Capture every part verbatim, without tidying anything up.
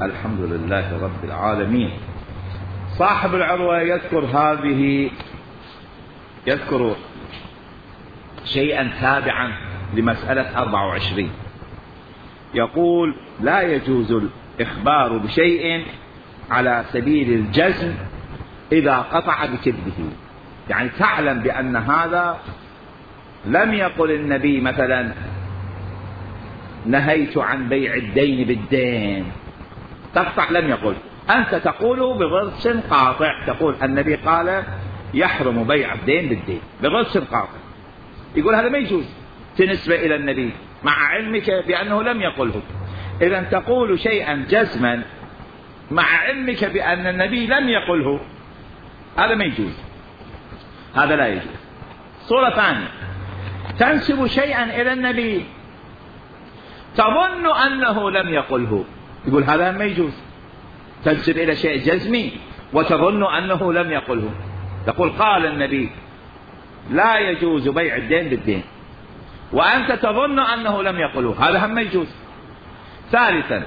الحمد لله رب العالمين. صاحب العروة يذكر هذه يذكر شيئا تابعا لمسألة أربعة وعشرين. يقول: لا يجوز الإخبار بشيء على سبيل الجزم إذا قطع بكذبه. يعني تعلم بأن هذا لم يقل النبي مثلا نهيت عن بيع الدين بالدين، تقطع، لم يقل، أنت تقول بغرس قاطع، تقول النبي قال يحرم بيع الدين بالدين بغرس قاطع. يقول هذا ما يجوز بالنسبة إلى النبي مع علمك بأنه لم يقله. إذا تقول شيئا جزما مع علمك بأن النبي لم يقله، هذا ما يجوز، هذا لا يجوز. صورة ثانية: تنسب شيئا إلى النبي تظن أنه لم يقله، يقول هذا ما يجوز. تنسب إلى شيء جزمي وتظن أنه لم يقله، تقول قال النبي لا يجوز بيع الدين بالدين وأنت تظن أنه لم يقله، هذا هم ما يجوز. ثالثا: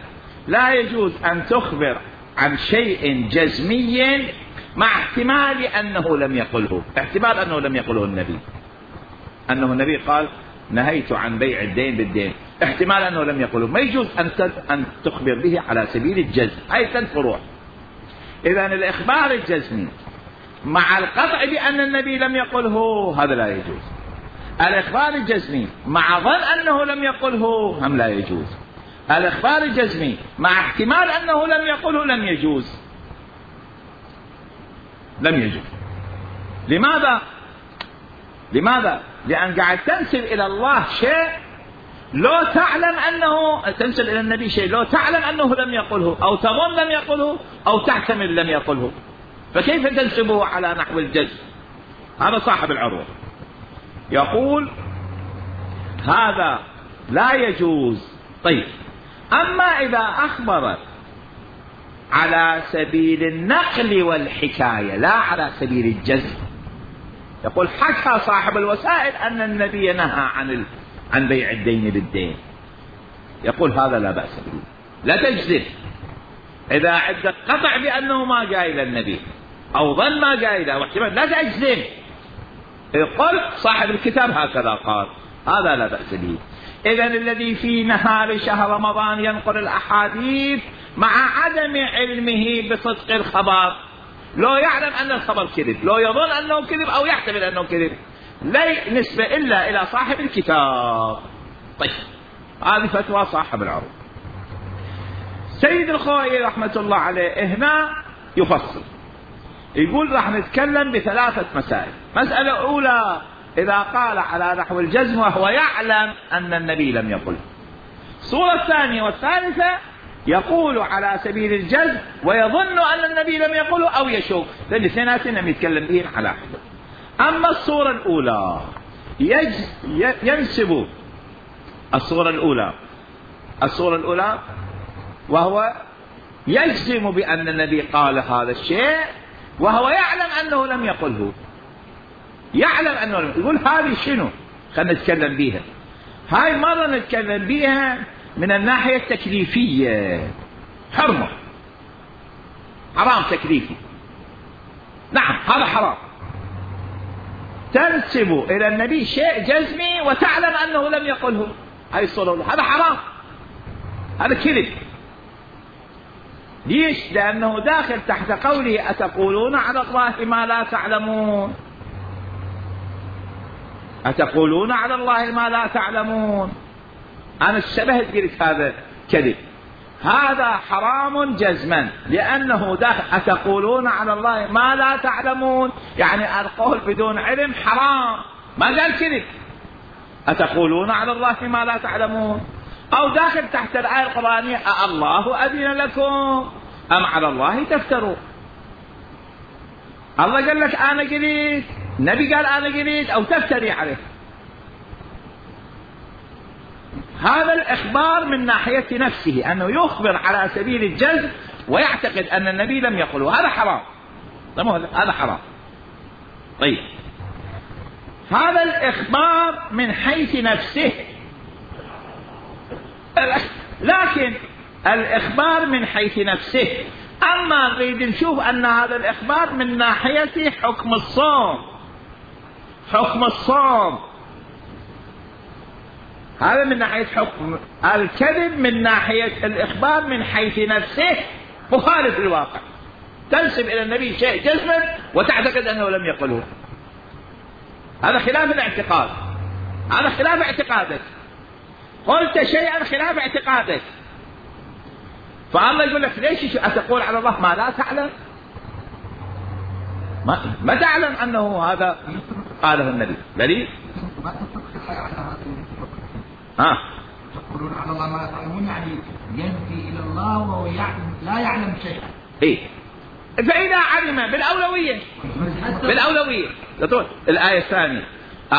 لا يجوز أن تخبر عن شيء جزمي مع احتمال أنه لم يقله، احتمال أنه لم يقله النبي، أنه النبي قال نهيت عن بيع الدين بالدين، احتمال أنه لم يقله، ما يجوز أن تخبر به على سبيل الجزم. هاي ثلاث فروع. إذا الإخبار الجزمي مع القطع بأن النبي لم يقله هذا لا يجوز. الإخبار الجزمي مع ظن أنه لم يقله هم لا يجوز. الإخبار الجزمي مع احتمال أنه لم يقله لم يجوز، لم يجوز. لماذا؟ لماذا؟ لأن قاعد تنسب إلى الله شيء لو تعلم أنه، تنسب إلى النبي شيء لو تعلم أنه لم يقله أو تظن لم يقله أو تحتمل لم يقله، فكيف تنسبه على نحو الجزم؟ هذا صاحب العروة يقول هذا لا يجوز. طيب، أما إذا أخبر على سبيل النقل والحكاية لا على سبيل الجزم، يقول حكى صاحب الوسائل أن النبي نهى عن ال... عن بيع الدين بالدين، يقول هذا لا بأس به، لا تجزم. إذا عندك قطع بأنه ما جاء إلى النبي أو ظن ما جاء إلى واحتمال، لا تجزم. قل صاحب الكتاب هكذا قال، هذا لا بأس به. إذن الذي في نهار شهر رمضان ينقل الأحاديث مع عدم علمه بصدق الخبر، لو يعلم أن الخبر كذب، لو يظن أنه كذب أو يحتمل أنه كذب، لا نسبة إلا إلى صاحب الكتاب. طيب، هذه فتوى صاحب العروض. سيد الخوئي رحمة الله عليه هنا يفصل، يقول راح نتكلم بثلاثة مسائل. مسألة أولى: إذا قال على نحو الجزم وهو يعلم أن النبي لم يقل. الصورة الثانية والثالثة: يقول على سبيل الجزم ويظن أن النبي لم يقله أو يشك، لأن الاثنين لم يتكلم بهن على حد. أما الصورة الأولى يج... ينسب الصورة الأولى الصورة الأولى وهو يجزم بأن النبي قال هذا الشيء وهو يعلم أنه لم يقله، يعلم أنه لم يقول. هذه شنو؟ خلينا نتكلم بيها. هاي مرة نتكلم بيها من الناحية التكليفية، حرمة، حرام تكليفي، نعم هذا حرام. تنسب إلى النبي شيء جزمي وتعلم أنه لم يقله، هاي الصورة، هذا حرام، هذا كذب. ليش؟ لأنه داخل تحت قوله أتقولون على الله ما لا تعلمون، أتقولون على الله ما لا تعلمون. أنا اشتبهت قلت هذا كذب، هذا حرام جزما، لأنه داخل أتقولون على الله ما لا تعلمون، يعني القول بدون علم حرام، ما قال كذب. أتقولون على الله ما لا تعلمون، أو داخل تحت الآية القرآنية الله أذن لكم أم على الله تفتروا. الله قال لك أنا قلت، النبي قال أنا قلت، أو تفتري عليه. هذا الإخبار من ناحية نفسه، أنه يخبر على سبيل الجزم ويعتقد أن النبي لم يقله، هذا حرام، هذا حرام. طيب، هذا الإخبار من حيث نفسه، لكن الإخبار من حيث نفسه. أما نريد نشوف أن هذا الإخبار من ناحية حكم الصوم، حكم الصوم هذا من ناحية حكم الكذب، من ناحية الإخبار من حيث نفسه مخالف للواقع. تنسب إلى النبي شيء جزما وتعتقد أنه لم يقله، هذا خلاف الاعتقاد، هذا خلاف اعتقادك. قلت شيئا خلاف اعتقادك، فالله يقول لك ليش أتقول على الله ما لا تعلم؟ ما, ما تعلم أنه هذا قاله النبي. دليل ها تقولون على الله ما لا تعلمون، يعني ينفي إلى الله وهو يعلم لا يعلم شيئا. إيه، فإذا علم بالأولوية بالأولوية الآية الثانية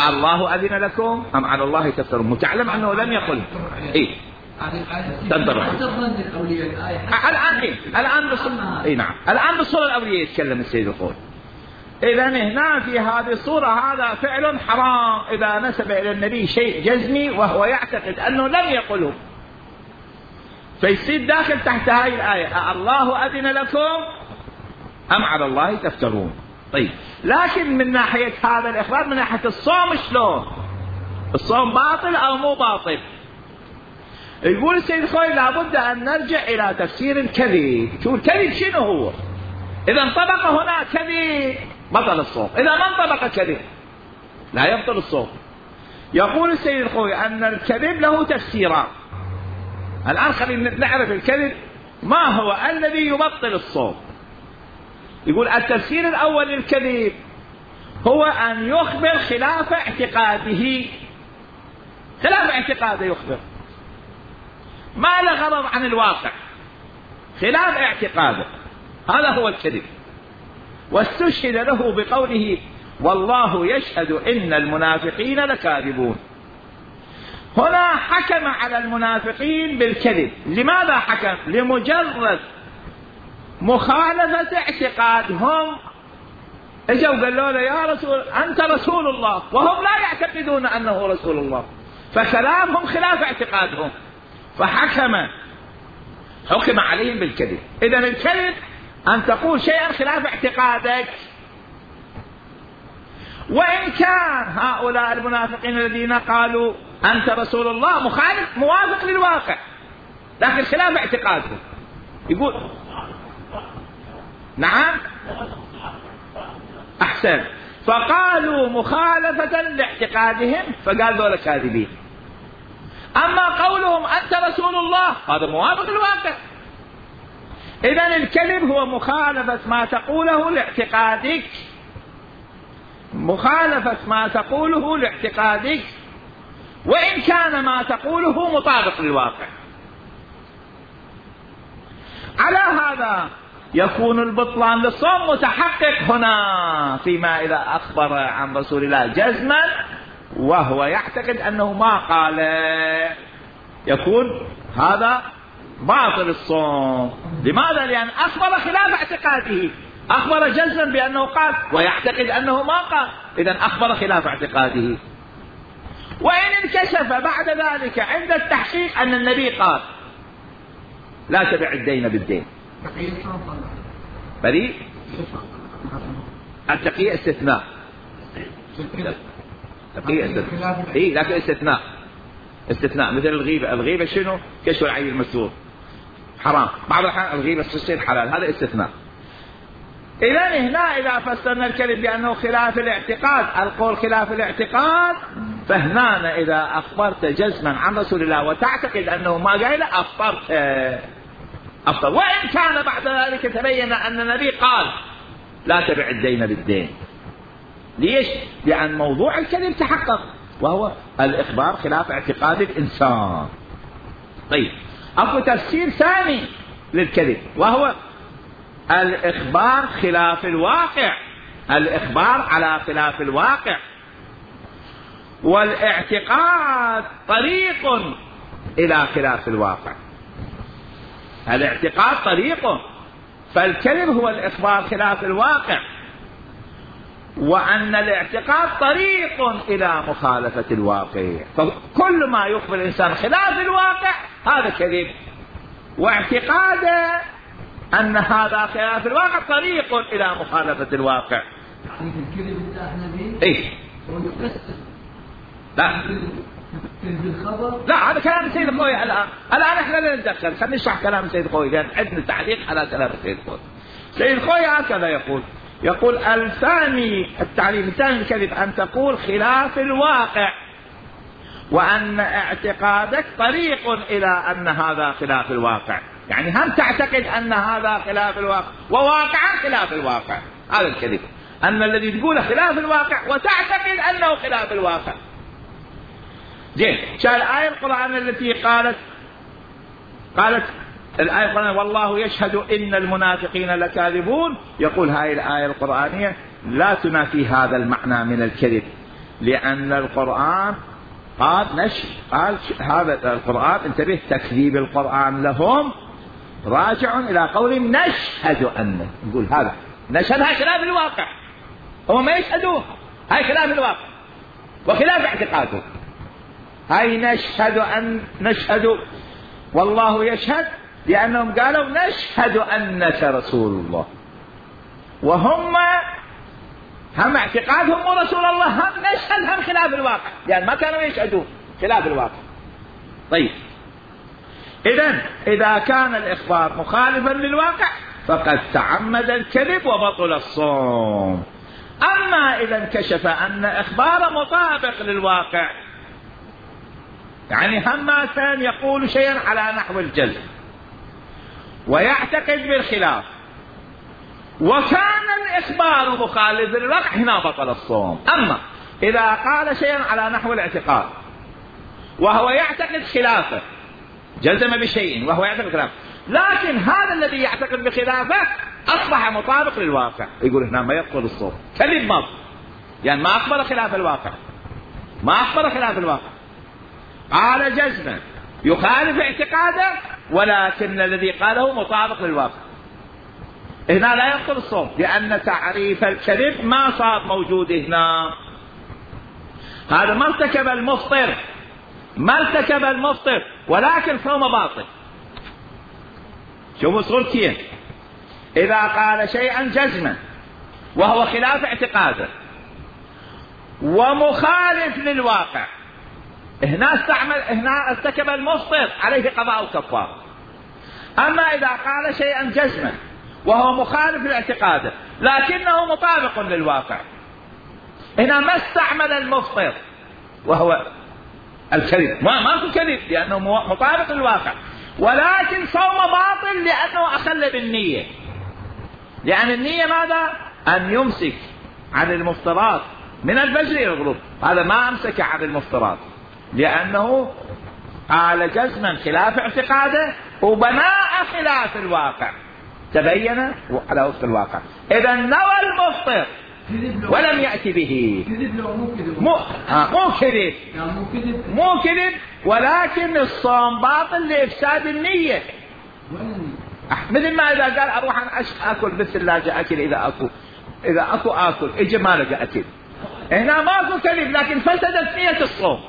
الله أذن لكم أم على الله تفترون، متعلم أنه لم يقل. إيه تنظر الآن إيه الآن بصل إيه نعم الآن بصل الأولية يتكلم السيد الخوي. إذا هنا في هذه الصورة هذا فعل حرام إذا نسب إلى النبي شيء جزمي وهو يعتقد أنه لم يقله، فيصير داخل تحت هذه الآية الله أذن لكم أم على الله تفترون. طيب لكن من ناحية هذا الإخبار من ناحية الصوم شلون؟ الصوم باطل أو مو باطل؟ يقول السيد الخوي لابد أن نرجع إلى تفسير الكذب. شو الكذب شنو هو؟ إذا انطبق هنا كذب بطل الصوم، إذا ما انطبق كذب لا يبطل الصوم. يقول السيد الخوي أن الكذب له تفسيران. الآن خلينا نعرف الكذب ما هو الذي يبطل الصوم. يقول التفسير الأول للكذب هو أن يخبر خلاف اعتقاده، خلاف اعتقاده يخبر ما له غرض عن الواقع، خلاف اعتقاده، هذا هو الكذب. واستشهد له بقوله والله يشهد إن المنافقين لكاذبون. هنا حكم على المنافقين بالكذب. لماذا حكم؟ لمجرد مخالفة اعتقادهم. اجوا قالوا له يا رسول أنت رسول الله، وهم لا يعتقدون أنه رسول الله، فكلامهم خلاف اعتقادهم، فحكم حكم عليهم بالكذب. إذن الكذب أن تقول شيئا خلاف اعتقادك. وإن كان هؤلاء المنافقين الذين قالوا أنت رسول الله مخالف موافق للواقع لكن خلاف اعتقادهم، يقول نعم أحسن، فقالوا مخالفة لاعتقادهم فقال ذولا كاذبين. أما قولهم أنت رسول الله هذا موافق للواقع. إذن الكذب هو مخالفة ما تقوله لاعتقادك، مخالفة ما تقوله لاعتقادك وإن كان ما تقوله مطابق للواقع. على هذا يكون البطلان للصوم متحقق هنا فيما إذا أخبر عن رسول الله جزما وهو يعتقد أنه ما قال، يكون هذا باطل الصوم. لماذا؟ لأن أخبر خلاف اعتقاده، أخبر جزما بأنه قال ويعتقد أنه ما قال، إذن أخبر خلاف اعتقاده. وإن انكشف بعد ذلك عند التحقيق أن النبي قال لا تبع الدين بالدين بريء، التقية استثناء، تقية استثناء إيه لكن استثناء استثناء مثل الغيبة. الغيبة شنو؟ كشف العيب المستور حرام، بعض الأحيان الغيبة تصير حلال، هذا استثناء. إذن هنا إذا فسرنا الكذب بأنه خلاف الاعتقاد، القول خلاف الاعتقاد، فهنا إذا أخبرت جزما عن رسول الله وتعتقد أنه ما قال أفطرت أفطر، وإن كان بعد ذلك تبين أن النبي قال لا تبع الدين بالدين. ليش؟ لأن موضوع الكذب تحقق وهو الإخبار خلاف اعتقاد الإنسان. طيب أكو تفسير ثاني للكذب وهو الإخبار خلاف الواقع، الإخبار على خلاف الواقع. والاعتقاد طريق إلى خلاف الواقع، الاعتقاد طريق، فالكذب هو الإخبار خلاف الواقع، وأن الاعتقاد طريق إلى مخالفة الواقع. فكل ما يخبر الإنسان خلاف الواقع هذا كذب. واعتقاده أن هذا خلاف الواقع طريق إلى مخالفة الواقع. يعني الكذب اللي احنا به إيه؟ لا الخبر. لا هذا كلام السيد الخوي. الآن الآن احنا لا نتدخل، خلينا نشرح كلام السيد الخوي لأن عندنا تعليق على كلام السيد الخوي. السيد الخوي هكذا يقول يقول الثاني التعليم الثاني الكذب أن تقول خلاف الواقع، وأن اعتقادك طريق إلى أن هذا خلاف الواقع. يعني هم تعتقد أن هذا خلاف الواقع وواقعا خلاف الواقع. هذا الكذب، أن الذي تقوله خلاف الواقع وتعتقد أنه خلاف الواقع. زين، شاء الآية القرآن التي قالت قالت الآية القرآنية والله يشهد إن المنافقين لكاذبون، يقول هاي الآية القرآنية لا تنافي هذا المعنى من الكذب، لأن القرآن قال نش قال هذا القرآن انتبه تكذيب القرآن لهم راجع إلى قول نشهد أن، نقول هذا نشهد هاي خلاف الواقع، هم ما يشهدوه، هاي خلاف الواقع وخلاف اعتقاده. هاي نشهد أن نشهد والله يشهد لأنهم قالوا نشهد أنك رسول الله، وهم هم اعتقادهم مو رسول الله، هم نشهد هم خلاف الواقع، يعني ما كانوا يشهدون خلاف الواقع. طيب إذن إذا كان الإخبار مخالفا للواقع فقد تعمد الكذب وبطل الصوم. أما إذا انكشف أن إخبار مطابق للواقع، يعني هم كان يقول شيئا على نحو الجزم ويعتقد بالخلاف وكان الإخبار مخالف للواقع، هنا بطل الصوم. أما إذا قال شيئا على نحو الاعتقاد وهو يعتقد خلافه، جزم بشيء وهو يعتقد خلافه، لكن هذا الذي يعتقد بخلافه أصبح مطابق للواقع، يقول هنا ما يبطل الصوم. كذب مض، يعني ما أخبر خلاف الواقع، ما أخبر خلاف الواقع، قال جزما يخالف اعتقاده ولكن الذي قاله مطابق للواقع، هنا لا يبطل الصوم، لأن تعريف الكذب ما صار موجود هنا. هذا ما ارتكب المفطر، ما ارتكب المفطر ولكن صوم باطل. شوفوا صورتين، إذا قال شيئا جزما وهو خلاف اعتقاده ومخالف للواقع، هنا استعمل هنا ارتكب المفطر عليه قضاء وكفارة. أما إذا قال شيئا جزما وهو مخالف لاعتقاده لكنه مطابق للواقع، هنا ما استعمل المفطر وهو الكذب، ما ماكو كذب لأنه مطابق للواقع، ولكن صوم باطل لأنه أخل بالنية، لأن النية ماذا؟ أن يمسك عن المفطرات من الفجر إلى الغروب، هذا ما أمسك عن المفطرات لأنه قال جزما خلاف اعتقاده وبناء خلاف الواقع، تبين على وفق الواقع. إذا نوى المفطر ولم يأتي به، كذب لو مو كذب، مو آه مو كذب مو كذب مو كذب ولكن الصوم باطل لإفساد النية. مثل ما إذا قال أروح أنا أكل بالثلاجة أكل، إذا أكو إذا أكو أكل إجا ما لقى أكل، هنا ما أكو كذب لكن فسدت نية الصوم،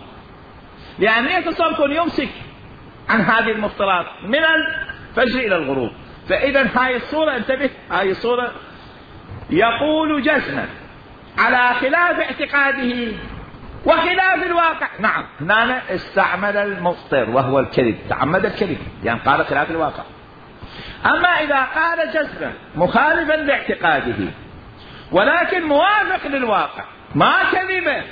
لأن نية الصوم يكون يمسك عن هذه المفطرات من الفجر إلى الغروب. فإذا هاي الصورة انتبه، هاي الصورة يقول جزما على خلاف اعتقاده وخلاف الواقع، نعم هنا استعمل المفطر وهو الكذب، تعمد الكذب يعني قال خلاف الواقع. أما إذا قال جزما مخالفا لاعتقاده ولكن موافق للواقع ما كذبه،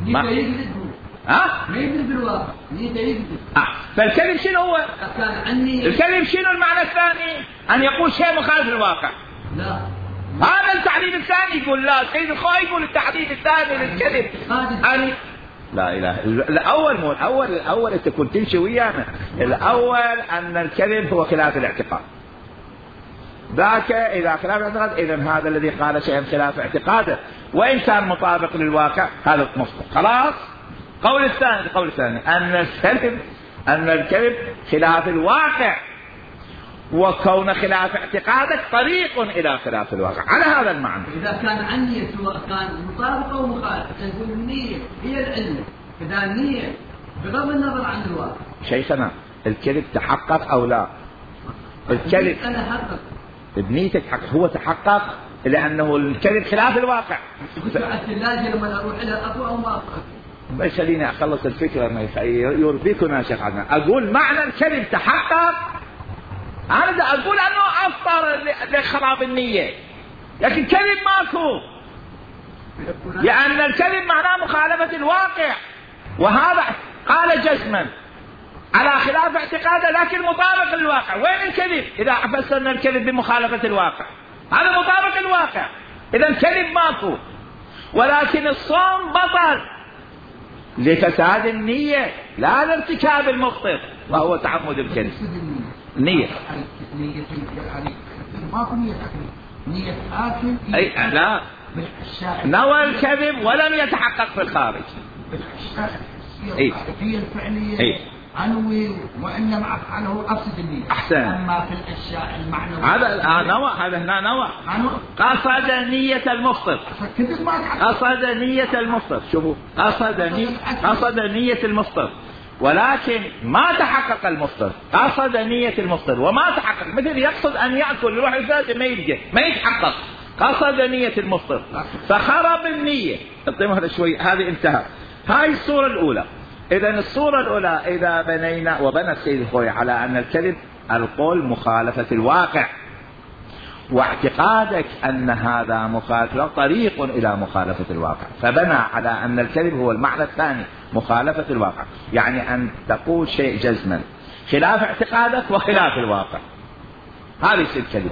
ما يكذب، ها؟ ما يكذب بالواقع، يكذب. آه. فالكذب شنو هو؟ كان عني الكذب شنو المعنى الثاني؟ أن يقول شيء مخالف للواقع. لا، هذا التعريف الثاني يقول لا، سيد الخوي يقول التعريف الثاني للكذب أن لا إله إلا الأول مو الأول الأول أنت كنت تمشي ويانا، الأول أن الكذب هو خلاف الاعتقاد، ذاك إذا خلاف الاعتقاد إذن هذا الذي قال شيئا خلاف اعتقاده وإن كان مطابق للواقع هذا مفطر. خلاص. قول الثاني القول الثاني أن الكذب أن الكذب خلاف الواقع، وكون خلاف اعتقادك طريق إلى خلاف الواقع على هذا المعنى. إذا كان عني سواء كان مطابق أو مخالف، تقول النية هي العلم، إذا النية بغض النظر عن الواقع. شيخنا الكذب تحقق أو لا؟ الكذب بنيته تحقق، هو تحقق لأنه الكذب خلاف الواقع. بس خليني أخلص الفكرة ما يربيكنا شيخ عدنان. أقول معنى الكذب تحقق، أنا أقول أنه أفطر لخراب النية، لكن كذب ماكو، لأن الكذب معناه مخالفة الواقع، وهذا قال جزما على خلاف اعتقاده لكن مطابق للواقع. وين الكذب إذا فسرنا الكذب بمخالفة الواقع؟ هذا مطابق الواقع، إذا الكذب ماكو. ولكن الصوم بطل لفساد النية لا لارتكاب المخطئ وهو تعمد الكذب. النية ماكو نية نية آكل أي لا نوى الكذب ولم يتحقق في الخارج. أي في الفعلية أي عنوي وإنما أفعله أفسد النية. أحسن. أما في الأشياء المعنوية هذا نوى، هذا هنا نوى قصد نية المفطر، قصد نية المفطر. شوفوا قصد نية قصد نية المفطر ولكن ما تحقق المفطر. قصد نية المفطر وما تحقق، مثل يقصد أن يأكل يروح الفاتح ما يلقى ما يتحقق. قصد نية المفطر فخرب النية. اعطيهم هذا شوي، هذه انتهى. هاي الصورة الأولى. إذا الصورة الأولى إذا بنينا وبنى السيد الخوي على أن الكذب القول مخالفة الواقع، واعتقادك أن هذا مخالفة طريق إلى مخالفة الواقع، فبنى على أن الكذب هو المعنى الثاني مخالفة الواقع، يعني أن تقول شيء جزما خلاف اعتقادك وخلاف الواقع، هذا يصير كذب.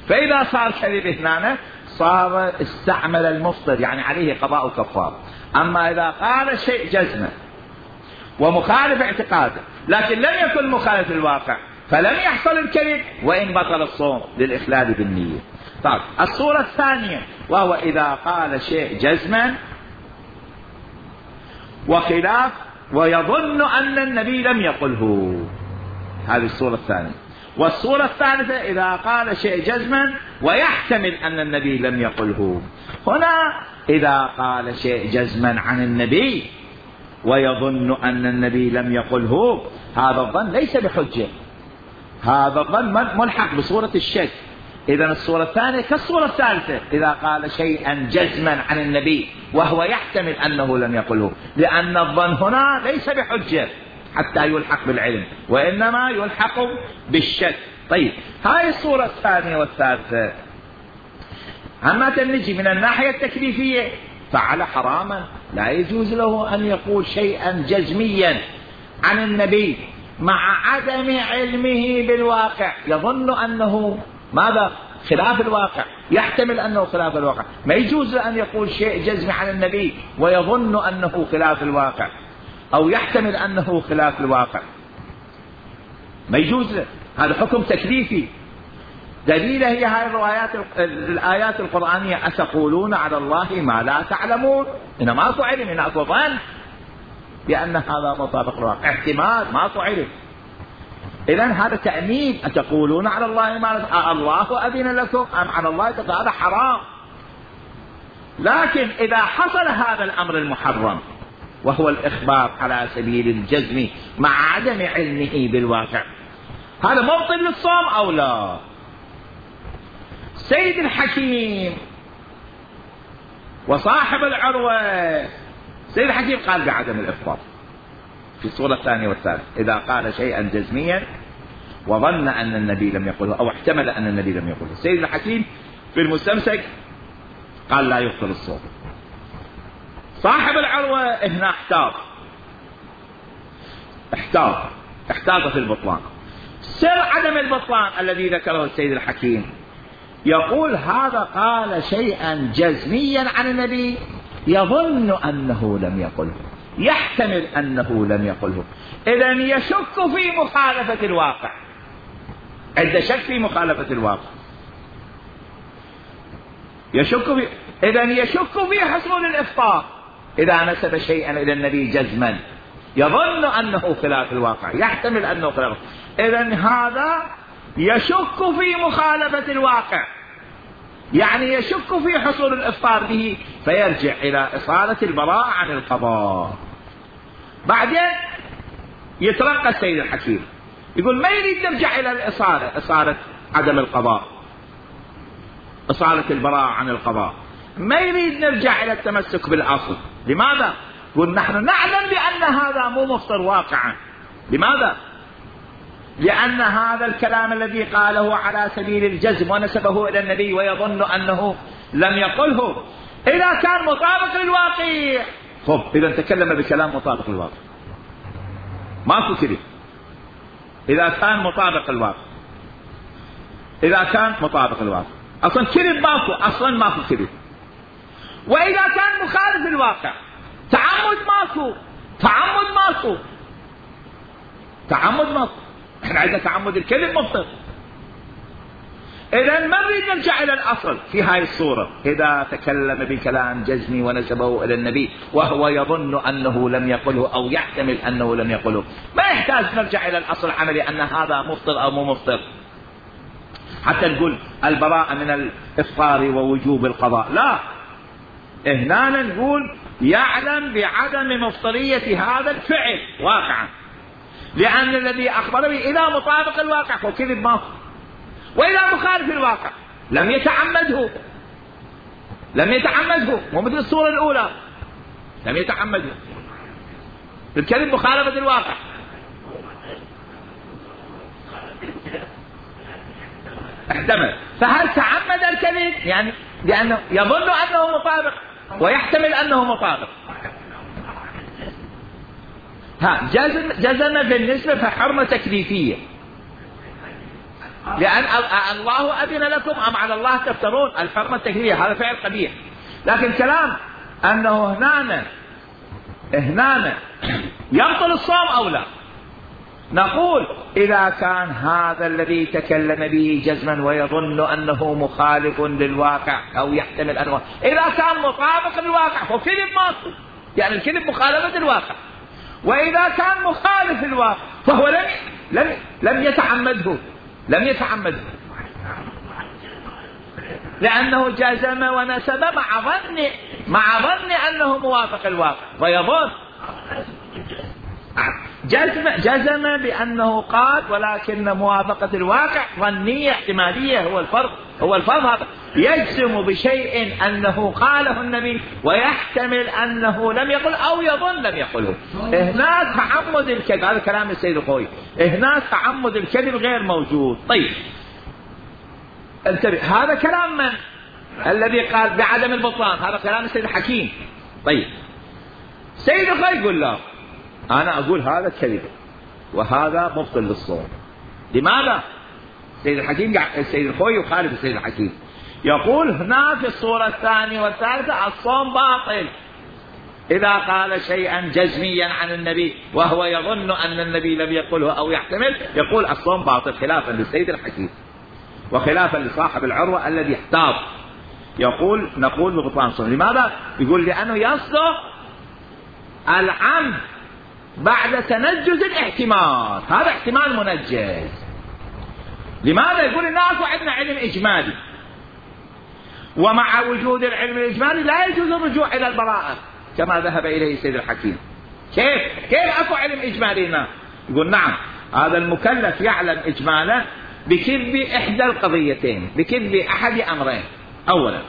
فإذا صار كذب هنا صار استعمل المفطر، يعني عليه قضاء كفار. أما إذا قال شيء جزما ومخالف اعتقاده لكن لم يكن مخالف الواقع فلم يحصل الكذب وإن بطل الصوم للإخلال بالنية. طيب الصورة الثانية وهو إذا قال شيء جزما وخلاف ويظن أن النبي لم يقله، هذه الصورة الثانية. والصورة الثالثة إذا قال شيء جزما ويحتمل أن النبي لم يقله. هنا إذا قال شيء جزما عن النبي ويظن أن النبي لم يقله، هذا الظن ليس بحجة، هذا الظن ملحق بصورة الشك. إذا الصورة الثانية كالصورة الثالثة إذا قال شيئا جزما عن النبي وهو يحتمل أنه لم يقله، لأن الظن هنا ليس بحجة حتى يلحق بالعلم وإنما يلحق بالشك. طيب هاي الصورة الثانية والثالثة. أما تنجي من الناحية التكليفية فعل حراما، لا يجوز له أن يقول شيئا جزميا عن النبي مع عدم علمه بالواقع، يظن أنه ماذا خلاف الواقع، يحتمل أنه خلاف الواقع. ما يجوز أن يقول شيء جزمي عن النبي ويظن أنه خلاف الواقع أو يحتمل أنه خلاف الواقع، ما يجوز. هذا حكم تكليفي. دليله هي هاي الروايات الآيات القرآنية أتقولون على الله ما لا تعلمون. هنا ما أكو علم، هنا أكو ظن بأن هذا مطابق الواقع، احتمال ما أكو علم. إذن هذا تأمين. أتقولون على الله ما لا الله أذن لكم أم على الله، هذا حرام. لكن إذا حصل هذا الأمر المحرم وهو الإخبار على سبيل الجزم مع عدم علمه بالواقع، هذا مبطل للصوم أو لا؟ سيد الحكيم وصاحب العروة، سيد الحكيم قال بعدم الإفطار في الصورة الثانية والثالثة إذا قال شيئا جزميا وظن أن النبي لم يقله أو احتمل أن النبي لم يقله. سيد الحكيم في المستمسك قال لا يبطل الصوم. صاحب العروة هنا احتاط احتاط احتاط في البطلان. سر عدم البطلان الذي ذكره السيد الحكيم يقول هذا قال شيئا جزميا عن النبي يظن أنه لم يقله، يحتمل أنه لم يقله، إذن يشك في مخالفة الواقع، عند شك في مخالفة الواقع يشك في، إذن يشك في حصول الإفطار إذا نسب شيئا إلى النبي جزما يظن أنه خلاف الواقع، يحتمل أنه خلاف، إذن هذا يشك في مخالفة الواقع، يعني يشك في حصول الإفطار به، فيرجع إلى إصالة البراءة عن القضاء. بعدين يترقى السيد الحكيم يقول ما يريد نرجع إلى الإصالة، إصالة عدم القضاء، إصالة البراءة عن القضاء، ما يريد نرجع إلى التمسك بالأصل. لماذا؟ يقول نحن نعلم بأن هذا مو مفطر واقعا. لماذا؟ لأن هذا الكلام الذي قاله على سبيل الجزم ونسبه إلى النبي ويظن أنه لم يقله إذا كان مطابق للواقع. خب إذا تكلم بكلام مطابق للواقع ماكو كذب. إذا كان مطابق الواقع، إذا كان مطابق الواقع أصلا كذب ماكو، أصلا ماكو كذب. وإذا كان مخالف الواقع تعمد ماكو، تعمد ماكو، تعمد ماكو. احنا عندنا تعمد الكذب مبطل. إذا ما نريد نرجع إلى الأصل في هاي الصورة. إذا تكلم بكلام جزمي ونسبه إلى النبي وهو يظن أنه لم يقله أو يحتمل أنه لم يقله، ما يحتاج نرجع إلى الأصل العملي أن هذا مفطر أو مو مفطر حتى نقول البراءة من الإفطار ووجوب القضاء. لا، هنا نقول يعلم بعدم مفطرية هذا الفعل واقعا، لأن الذي أخبر به إذا مطابق الواقع فكذب ماكو، وإذا مخالف الواقع لم يتعمده، لم يتعمده، مو مثل الصورة الأولى لم يتعمده. الكذب مخالفة الواقع. احتمل، فهل تعمد الكذب؟ يعني لأنه يظن أنه مطابق ويحتمل أنه مطابق. ها جزم جزم بالنسبة فحرمة تكليفية، لأن الله أذن لكم أم على الله تفترون. الحرمة التكليفية هذا فعل قبيح. لكن كلام أنه هنا هنا يبطل الصوم أو لا، نقول إذا كان هذا الذي تكلم به جزما ويظن أنه مخالف للواقع أو يحتمل أنه، إذا كان مطابق للواقع فكذب ماكو، يعني الكذب مخالفة الواقع. وإذا كان مخالف الواقع فهو لم لم لم يتعمده، لم يتعمده لأنه جزم ونسب مع ظن مع ظن أنه موافق الواقع، ويظن جزم جزم بأنه قال ولكن موافقة الواقع ظنية احتمالية. هو الفرق، هو الفرق هذا. يجزم بشيء أنه قاله النبي ويحتمل أنه لم يقل أو يظن لم يقله. هنا تعمد الكذب، هذا كلام السيد الخوي، هنا تعمد الكذب غير موجود. طيب انتبه، هذا كلام من؟ الذي قال بعدم البطلان، هذا كلام السيد الحكيم. طيب سيد الخوي يقول لا، أنا أقول هذا كذب وهذا مبطل للصوم. لماذا؟ السيد الحكيم السيد الخوي يخالف السيد الحكيم، يقول هنا في الصورة الثانية والثالثة الصوم باطل إذا قال شيئا جزميا عن النبي وهو يظن أن النبي لم يقله أو يحتمل، يقول الصوم باطل خلافا للسيد الحكيم وخلافا لصاحب العروة الذي احتاط. يقول نقول ببطلان الصوم. لماذا؟ يقول لأنه يصدق العمد بعد تنجز الاحتمال، هذا احتمال منجز. لماذا؟ يقول الناس عندنا علم إجمالي، ومع وجود العلم الإجمالي لا يجوز الرجوع إلى البراءة كما ذهب إليه السيد الحكيم. كيف؟ كيف أكو علم إجمالي هنا؟ يقول نعم، هذا المكلف يعلم إجمالا بكذب إحدى القضيتين، بكذب أحد أمرين. أولا،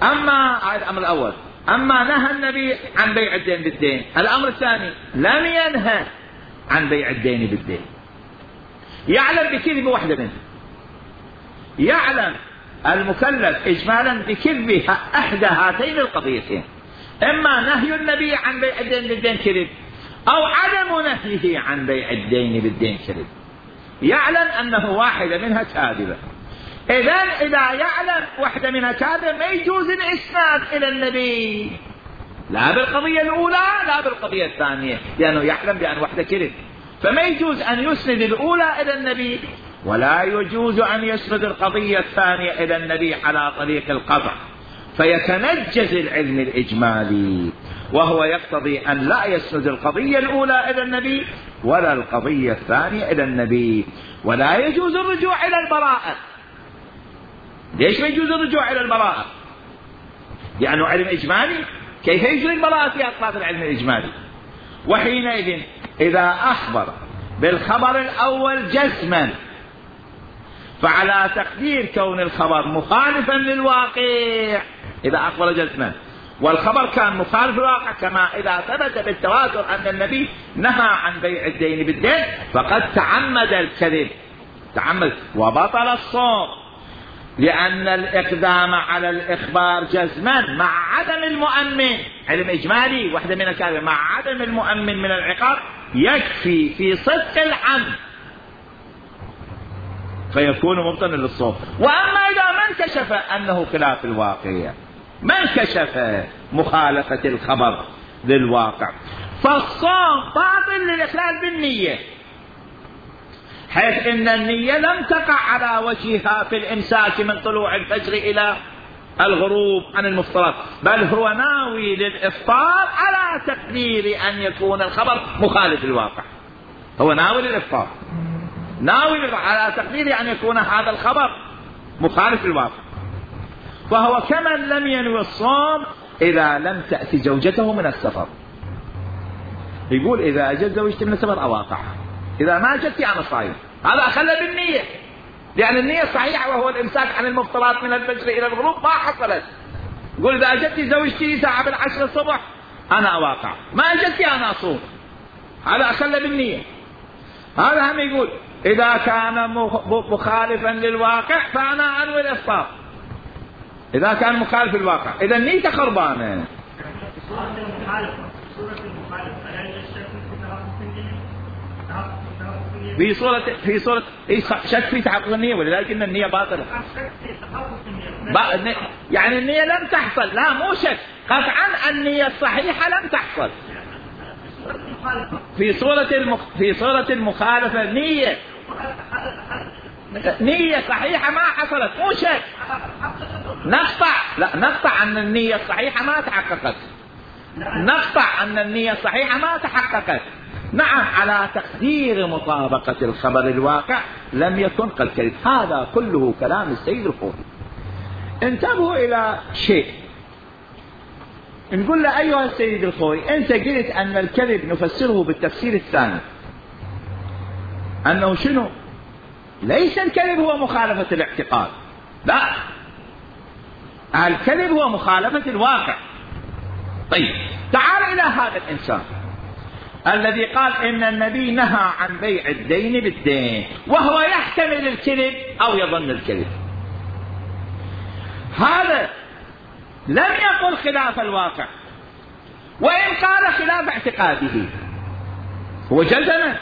أما هذا الأمر الأول، أما نهى النبي عن بيع الدين بالدين. الأمر الثاني لم ينهى عن بيع الدين بالدين. يعلم بكذب واحدة منه، يعلم المكلف إجمالا بكذب أحدى هاتين القضيتين، إما نهي النبي عن بيع الدين بالدين كذب، أو عدم نهيه عن بيع الدين بالدين كذب. يعلم أنه واحدة منها كاذبة. إذن إذا يعلم واحدة منها كاذبة ما يجوز الإسناد إلى النبي، لا بالقضية الأولى لا بالقضية الثانية، لأنه يعلم بأن واحدة كذب، فما يجوز أن يسند الأولى إلى النبي ولا يجوز أن يسند القضية الثانية إلى النبي على طريق القطع، فيتنجز العلم الإجمالي، وهو يقتضي أن لا يسند القضية الأولى إلى النبي ولا القضية الثانية إلى النبي. ولا يجوز الرجوع إلى البراءة. ليش ما يجوز الرجوع إلى البراءة؟ لأنه علم إجمالي، كيف يجري البراءة في أطراف العلم الإجمالي؟ وحينئذ إذا أخبر بالخبر الأول جزما، فعلى تقدير كون الخبر مخالفا للواقع إذا أخبر جزما، والخبر كان مخالف للواقع كما إذا ثبت بالتواتر أن النبي نهى عن بيع الدين بالدين فقد تعمد الكذب، تعمد وبطل الصوم، لأن الإقدام على الإخبار جزما مع عدم المؤمن، علم إجمالي وحدة من الكاذبة، مع عدم المؤمن من العقاب يكفي في صدق الحمد فيكون مبطلا للصوم. وأما إذا ما انكشف أنه خلاف الواقع، ما انكشف مخالفة الخبر للواقع، فالصوم باطل للإخلال بالنية، حيث إن النية لم تقع على وجهها في الإمساك من طلوع الفجر إلى الغروب عن المفترض، بل هو ناوي للإفطار على تقدير أن يكون الخبر مخالف للواقع، هو ناوي للإفطار، ناوي على تقدير أن يكون هذا الخبر مخالف للواقع، فهو كمن لم ينوي الصوم إذا لم تأتي زوجته من السفر. يقول إذا أجت زوجتي من السفر أواقعها، إذا ما أجت أنا صايم، هذا أخل بالنية، لأن النية صحيحة وهو الإمساك عن المفطرات من الفجر إلى الغروب ما حصلت. يقول إذا أجت زوجتي ساعة بالعشر الصبح أنا أواقع، ما أجت أنا أصوم، هذا أخل بالنية. هذا هم يقول إذا كان مخالفا للواقع فأنا أنوي الإفطار، إذا كان مخالف للواقع إذا نيته خربانة. في صورة في صورة شك في تحقق النية، ولذلك إن النية باطلة. يعني النية لم تحصل، لا مو شك، قطعا النية الصحيحة لم تحصل. في صورة المخ... في صورة المخالفة نية نية صحيحة ما حصلت، مو شك، نقطع لا نقطع أن النية الصحيحة ما تحققت، نقطع أن النية الصحيحة ما تحققت. نعم على تقدير مطابقة الخبر الواقع لم يكن قد كذب. هذا كله كلام السيد الخوئي. انتبهوا إلى شيء، نقول له أيها السيد الخوئي أنت قلت أن الكذب نفسره بالتفسير الثاني، أنه شنو؟ ليس الكذب هو مخالفة الاعتقاد، لا، الكذب هو مخالفة الواقع. طيب تعال إلى هذا الإنسان الذي قال إن النبي نهى عن بيع الدين بالدين وهو يحتمل الكذب أو يظن الكذب، هذا لم يقل خلاف الواقع، وإن قال خلاف اعتقاده، هو جزم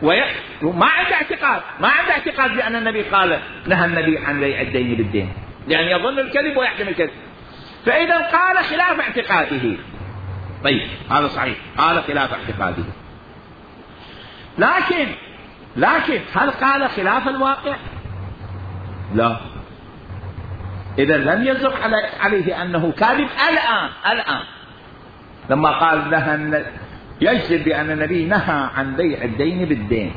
وما عنده اعتقاد، ما عنده اعتقاد بأن النبي قال نهى النبي عن بيع الدين بالدين، لأن يظن الكذب ويحتمل الكذب، فإذا قال خلاف اعتقاده. طيب هذا صحيح، قال خلاف اعتقاده، لكن لكن هل قال خلاف الواقع؟ لا. إذا لم يزق عليه أنه كاذب الآن الآن لما قال نهى، يجزم بأن النبي نهى عن بيع الدين بالدين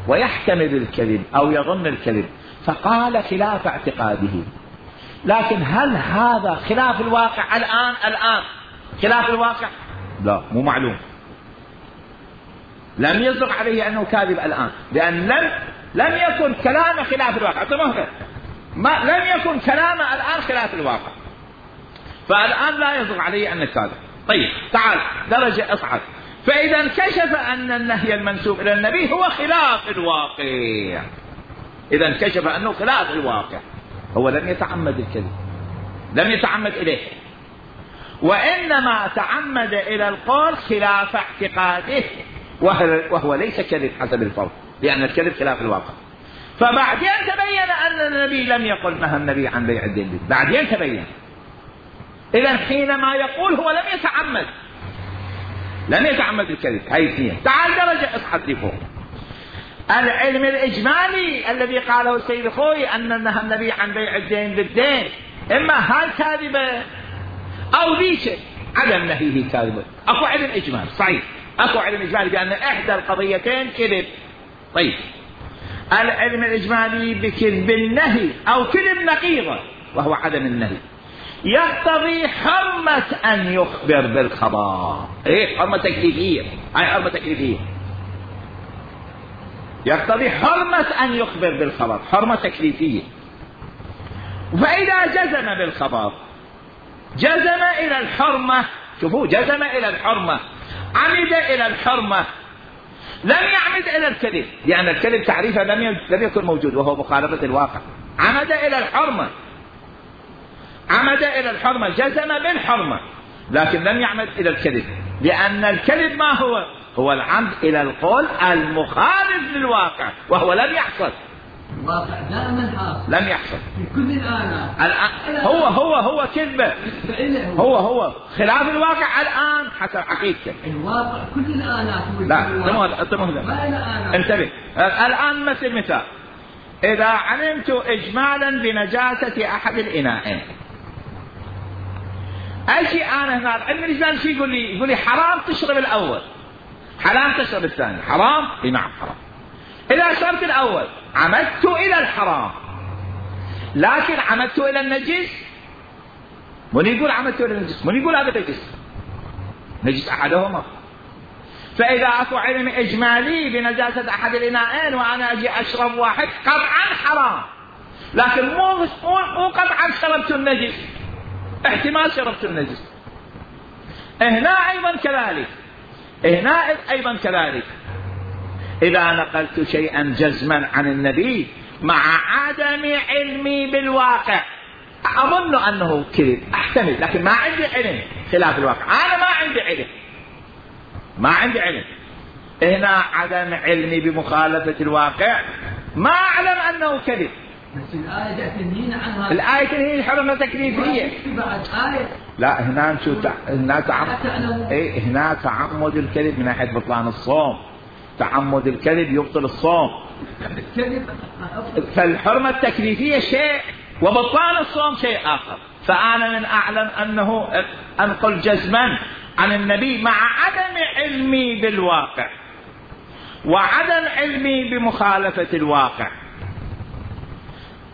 ويحتمل الكذب أو يظن الكذب، فقال خلاف اعتقاده، لكن هل هذا خلاف الواقع الآن الآن خلاف الواقع؟ لا، مو معلوم. لم يصدق عليه أنه كاذب الآن، لأن لم لم يكن كلام خلاف الواقع، ما لم يكن كلام الآن خلاف الواقع، فالآن لا يصدق عليه أنه كاذب. طيب تعال درجة أصعد، فإذا انكشف أن النهي المنسوب إلى النبي هو خلاف الواقع، إذا انكشف أنه خلاف الواقع، هو لم يتعمد الكذب، لم يتعمد إليه، وإنما تعمد إلى القول خلاف اعتقاده، وهو ليس كذب حسب الفرق، لأن الكذب خلاف الواقع. فبعدين تبين أن النبي لم يقل نهى النبي عن بيع الدين، بعدين تبين. إذا حينما يقول هو لم يتعمد، لم يتعمد الكذب، هاي اثنين. تعال درجة اصحى لفوق. العلم الإجمالي الذي قاله السيد الخوئي أن نهى النبي عن بيع الدين بالدين، إما هاي كاذبة أو ذيك عدم نهيه كاذبة. أكو علم إجمالي صحيح، أكو علم إجمالي بأن إحدى القضيتين كذب. طيب العلم الإجمالي بكذب النهي أو كذب نقيضة وهو عدم النهي يقتضي حرمة أن يخبر بالخبر. إيه حرمة تكليفية، هاي حرمة تكليفية. يقتضي حرمة أن يخبر بالخبر، حرمة تكليفية. فإذا جزم بالخبر جزم إلى الحرمة، شوفوا جزم إلى الحرمة، عمد إلى الحرمة، لم يعمد إلى الكذب، لأن يعني الكذب تعريفه لم لم يكن موجود وهو مخالفة الواقع. عمد إلى الحرمة، عمد إلى الحرمة، جزم بالحرمة، لكن لم يعمد إلى الكذب، لأن الكذب ما هو؟ هو العمد إلى القول المخالف للواقع، وهو لم يحصل. الواقع دائما حاصل، لم يحصل في كل الآن. الآن هو هو هو كذبة، هو هو خلاف الواقع الآن حسب حقيقته. الواقع كل الآنات. لا انتبه. الآن مثل مثال، إذا علمت إجمالا بنجاسة أحد الإناءين، أجي أنا هنا علم الإجمال شو يقول لي؟ يقول لي حرام تشرب الأول، حلال تشرب الثاني. حرام؟ إيه نعم حرام. إذا شربت الأول عمدت إلى الحرام، لكن عمدت إلى النجس. من يقول عمدت إلى النجس؟ من يقول هذا نجس؟ نجس أحدهما. فإذا أكو علم إجمالي بنجاسة أحد الإناءين وأنا أجي أشرب واحد، قطعا حرام، لكن مو مو قطعا شربت النجس، احتمال شربت النجس. هنا أيضا كذلك، هنا أيضا كذلك، إذا نقلت شيئا جزما عن النبي مع عدم علمي بالواقع، أظن أنه كذب، أحتمل، لكن ما عندي علم خلاف الواقع، أنا ما عندي علم، ما عندي علم. هنا عدم علمي بمخالفة الواقع، ما أعلم أنه كذب. بس الآية تنهينا عنها، الآية تنهي حرمة تكليفية. لا هنا نشوف هنا تعمد، إيه هنا تعمد الكذب من ناحية بطلان الصوم، تعمد الكذب يبطل الصوم. فالحرمة التكليفية شيء وبطلان الصوم شيء آخر. فأنا من أعلم أنه أنقل جزما عن النبي مع عدم علمي بالواقع وعدم علمي بمخالفة الواقع،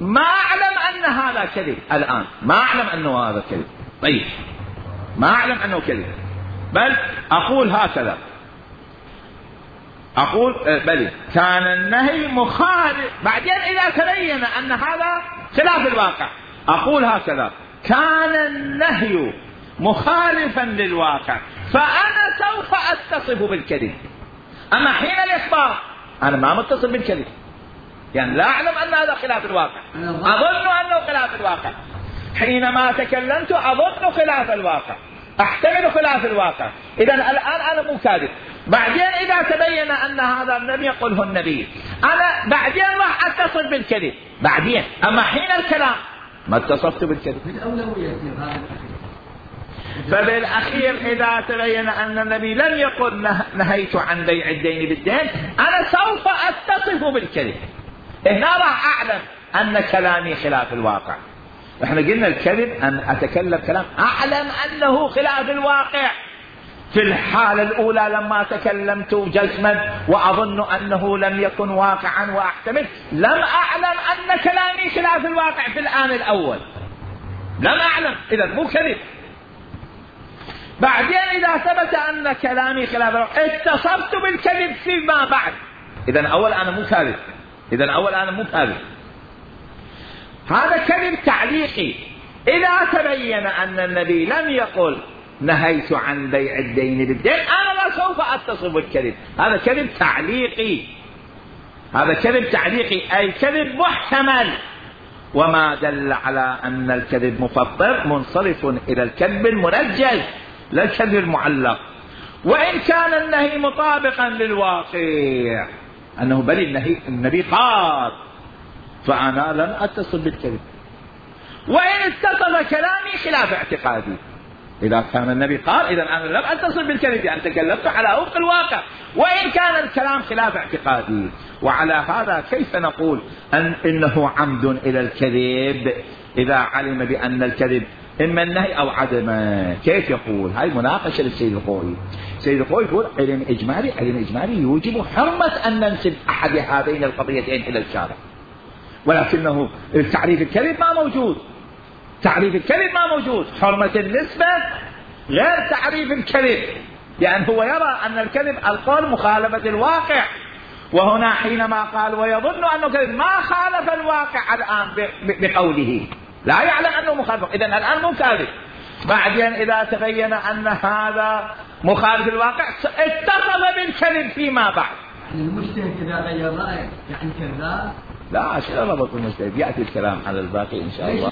ما أعلم أن هذا كذب الآن، ما أعلم أنه هذا كذب. طيب ما أعلم أنه كذب، بل أقول هكذا، أقول بل كان النهي مخالف، بعدين إذا تبين أن هذا خلاف الواقع أقول هكذا: كان النهي مخالفا للواقع فأنا سوف أتصف بالكذب. أما حين الإخبار أنا ما متصل بالكذب، يعني لا أعلم أن هذا خلاف الواقع، أظن أنه خلاف الواقع. حينما تكلمت أظن خلاف الواقع، أحتمل خلاف الواقع، إذن الآن أنا مو كاذب. بعدين إذا تبين أن هذا لم يقله النبي أنا بعدين راح أتصل بالكذب بعدين، أما حين الكلام ما اتصلت بالكذب. فبالأخير إذا تبين أن النبي لم يقل نهيت عن بيع الدين بالدين أنا سوف أتصف بالكذب. هنا راح أعلم أن كلامي خلاف الواقع. احنا قلنا الكذب أن أتكلم كلام أعلم أنه خلاف الواقع. في الحالة الأولى لما تكلمت جزما وأظن أنه لم يكن واقعا وأحتمل، لم أعلم أن كلامي خلاف الواقع في الآن الأول، لم أعلم، إذا مو كذب. بعدين إذا ثبت أن كلامي خلاف الواقع اتصفت بالكذب فيما بعد، إذا أول أنا مو كاذب، إذا أول أنا مو كاذب. هذا كذب تعليقي. إذا تبين أن النبي لم يقل نهيت عن بيع الدين بالدين أنا لا سوف أتصف بالكذب، هذا كذب تعليقي، هذا كذب تعليقي أي كذب محتمل. وما دل على أن الكذب مفطر منصرف إلى الكذب المنجز لا الكذب المعلق. وإن كان النهي مطابقا للواقع أنه بل النهي النبي قال فأنا لم أتصل بالكذب، وإن اتصل كلامي خلاف اعتقادي. إذا كان النبي قال إذا أنا لم أتصل بالكذب، يعني تكلمت على وفق الواقع، وإن كان الكلام خلاف اعتقادي. وعلى هذا كيف نقول أن إنه عمد إلى الكذب إذا علم بأن الكذب إما النهي أو عدمه؟ كيف يقول؟ هاي مناقشة للسيد الخوئي. السيد الخوئي يقول علم إجمالي، علم إجمالي يوجب حرمة أن ننسب أحد هذين القضيتين إلى الشارع، ولكنه تعريف الكذب ما موجود، تعريف الكذب ما موجود. حرمة النسبة غير تعريف الكذب، لأن هو يرى أن الكذب القول مخالفة الواقع، وهنا حينما قال ويظن أنه كذب ما خالف الواقع الآن بقوله، لا يعلم أنه مخالف، إذن الآن مو كاذب. بعدين إذا تبين أن هذا مخالف الواقع اتصف بالكذب فيما بعد. المجتهد إذا غير رأيه يعني كذاب؟ لا، شنو ربط المجتهد؟ يأتي الكلام على الباقي إن شاء الله.